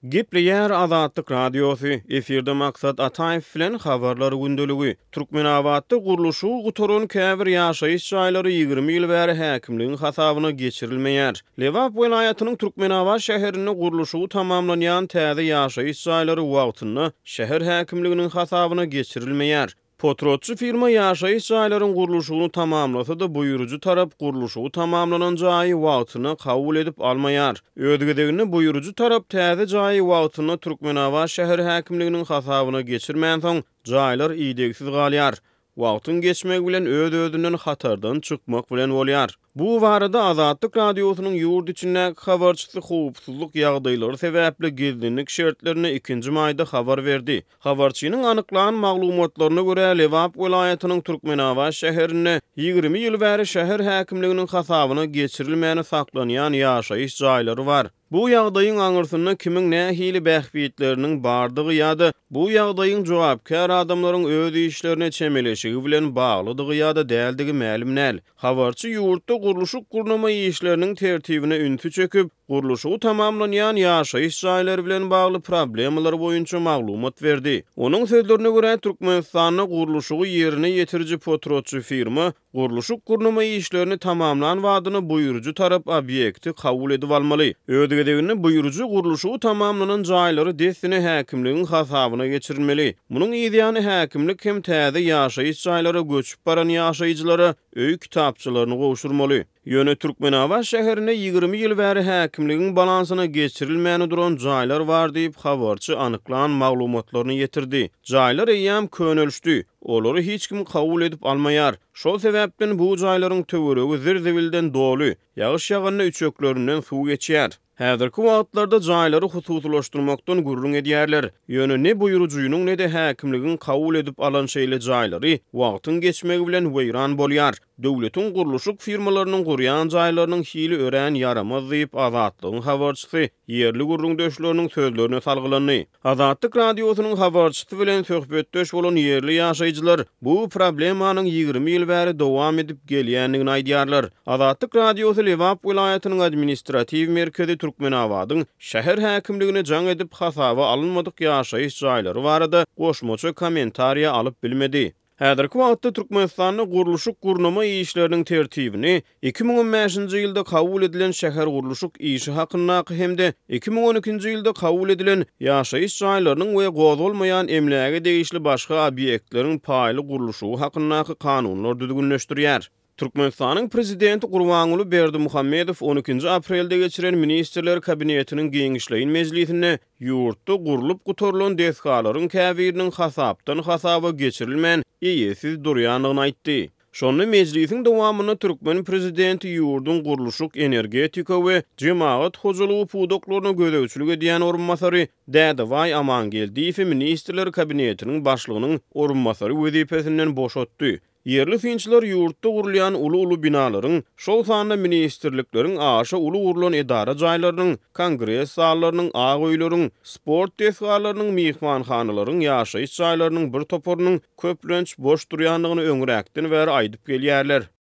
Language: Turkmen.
Gepleýär Azatlyk Radiosy, efirde Maksat Ataýew bilen Habarlar gündeligi. Türkmenabatda gurluşygy gutaran käbir ýaşaýyş jaýlary 20 ýyl bäri häkimligiň hasabyna geçirilmeýär. Lebap welaýatynyň Türkmenabat şäherinde gurluşygy tamamlanýan täze ýaşaýyş jaýlary wagtynda şäher häkimliginiň hasabyna geçirilmeýär. Potratçy firma ýaşaýyş jaýlaryň gurluşygyny tamamlasa-da, buýrujy tarap gurluşygy tamamlanan jaýy wagtynda kabul edip almaýar. Öz gezeginde buýrujy tarap täze jaýy wagtynda Türkmenabat şäher häkimliginiň hasabyna geçirmänsoň, jaýlar idegsiz galýar. Wagtyň geçmegi bilen öz-özünden hatardan çykmak bilen bolýar. Bu barada Azatlyk Radiosynyň ýurt içindäki habarçysy howpsuzlyk ýagdaýlary sebäpli gizlinlik şertlerinde ikinji maýda habar berdi. Habarçynyň anyklan maglumatlaryna görä, Lebap welaýatynyň Türkmenabat şäherinde 20 ýyl bäri şäher häkimliginiň hasabyna geçirilmäni saklanýan ýaşaýyş jaýlary bar. Bu ýagdaýyň aňyrsynda kimiň nähili bähbitleriniň bardygy ýa-da bu ýagdaýyň jogapkär adamlaryň öz işlerine çemeleşigi bilen baglydygy ýa-da däldigi mälim däl. Habarçy ýurtda gurluşyk-gurnama işleriniň tertibine ünsi çekip, gurluşygy tamamlanýan ýaşaýyş jaýlary bilen bagly problemalar boýunça maglumat berdi. Onuň sözlerine görä, Türkmenistanda gurluşygy ýerine ýetiriji potratçy firma Gurluşyk-gurnama işlerini tamamlan badyna buýrujy tarap obýekti kabul edip almaly. Öz gezeginde buýrujy gurluşygy tamamlanan jaýlary dessine häkimligiň hasabyna geçirilmeli. Munuň yzýany häkimlik hem täze ýaşaýyş jaýlara göçüp baran ýaşaýjylara öý kitapçalaryny gowşurmaly. Ýöne Türkmenabat şäherinde 20 ýyl bäri häkimligiň balansyna geçirilmäni duran jaýlar bar diýip, habarçy anyklan maglumatlaryny ýetirdi. Jaýlar eýýäm könelişdi. Olary hiç kim kabul edip almaýar. Şol sebäpden bu jaýlaryň töweregi zir-zibilden doly, ýagyş ýaganda üçeklerinden suw geçýär. Häzirki wagtlarda jaýlary hususylaşdyrmakdan gürrüň edýärler. Ýöne ne buýrujynyň, ne-de häkimligiň kabul edip alan şeýle jaýlary wagtyň geçmegi bilen weýran bolýar. Döwletiň gurluşyk firmalarynyň gurýan jaýlarynyň hili örän ýaramaz diýip, Azatlygyň habarçysy ýerli gürrüňdeşleriniň sözlerine salgylandy. Azatlyk Radiosynyň habarçysy bilen söhbetdeş bolan ýerli ýaşaýjylar bu problemanyň 20 ýyl bäri dowam edip gelýändigini aýdýarlar. Azatlyk Radiosy Lebap welaýatynyň administratiw merkezi Türkmenabadyň şäher häkimligine jaň edip, hasaba alynmadyk ýaşaýyş jaýlary barada goşmaça kommentariýa alyp bilmedi. Häzirki wagtda Türkmenistanda gurluşyk-gurnama işleriniň tertibini 2015-nji ýylda kabul edilen Şähergurluşyk işi hakyndaky hem-de 2012-nji ýylda kabul edilen Ýaşaýyş jaýlarynyň we gozgalmaýan emläge degişli başga obýektleriň paýly gurluşygy hakyndaky kanunlar düzgünleşdirýär. Türkmenistanyň Prezidenti Gurbanguly Berdimuhamedow on ikinji aprelde geçiren Ministrler Kabinetiniň giňişleýin mejlisinde ýurtda gurlup gutarylan desgalaryň käbiriniň hasapdan hasaba geçirilmän, eýesiz durýandygyny aýtdy. Şonda mejlisiň dowamynda türkmen prezidenti ýurduň gurluşyk, energetika we jemagat hojalygy pudaklaryna gözegçilik edýän orunbasary Dädebaý Amangeldiýewi Ministrler Kabinetiniň başlygynyň orunbasary wezipesinden boşatdy. Ýerli synçylar ýurtda gurulýan uly-uly binalaryň, şol sanda ministrlikleriň aşa uly gurlan edara jaýlarynyň, kongres zallarynyň, ak öýleriň, sport desgalarynyň, myhmanhanalaryň, ýaşaýyş jaýlarynyň bir toparynyň köplenç boş durýandygyny öňräkden bäri aýdyp gelýärler.